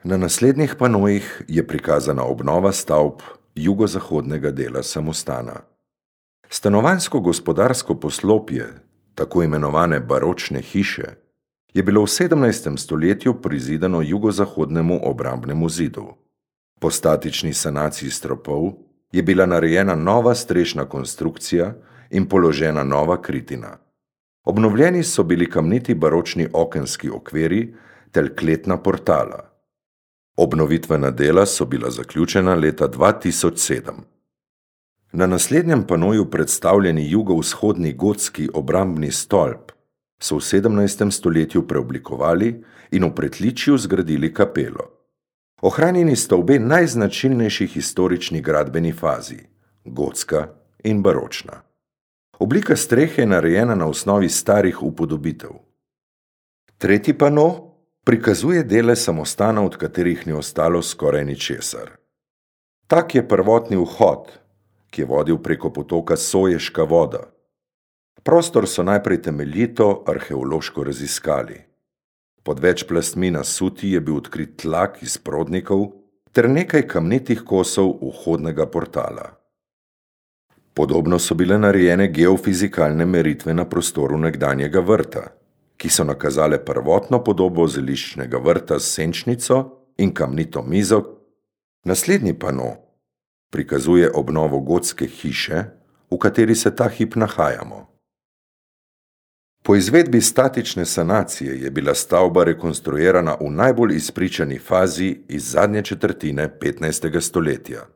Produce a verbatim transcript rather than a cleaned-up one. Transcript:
Na naslednjih panojih je prikazana obnova stavb jugozahodnega dela samostana. Stanovanjsko-gospodarsko poslopje, tako imenovane baročne hiše, je bilo v sedemnajstem stoletju prizidano jugozahodnemu obrambnemu zidu. Po statični sanaciji stropov je bila narejena nova strešna konstrukcija in položena nova kritina. Obnovljeni so bili kamniti baročni okenski okviri ter kletna portala. Obnovitvena dela so bila zaključena leta dva tisoč sedem. Na naslednjem panoju predstavljeni jugovzhodni gotski obrambni stolp so v sedemnajstem stoletju preoblikovali in v pritličju zgradili kapelo. Ohranjeni sta obe najznačilnejši historični gradbeni fazi, gotska in baročna. Oblika strehe je narejena na osnovi starih upodobitev. Tretji pano prikazuje dele samostana, od katerih ni ostalo skoraj ničesar. Tak je prvotni vhod, ki je vodil preko potoka Soješka voda. Prostor so najprej temeljito arheološko raziskali. Pod več plastmi nasuti je bil odkrit tlak iz prodnikov ter nekaj kamnitih kosov vhodnega portala. Podobno so bile narejene geofizikalne meritve na prostoru nekdanjega vrta, ki so nakazale prvotno podobo zeliščnega vrta s senčnico in kamnito mizo. Naslednji pano prikazuje obnovo gotske hiše, v kateri se ta hip nahajamo. Po izvedbi statične sanacije je bila stavba rekonstruirana v najbolj izpričani fazi iz zadnje četrtine petnajstega stoletja.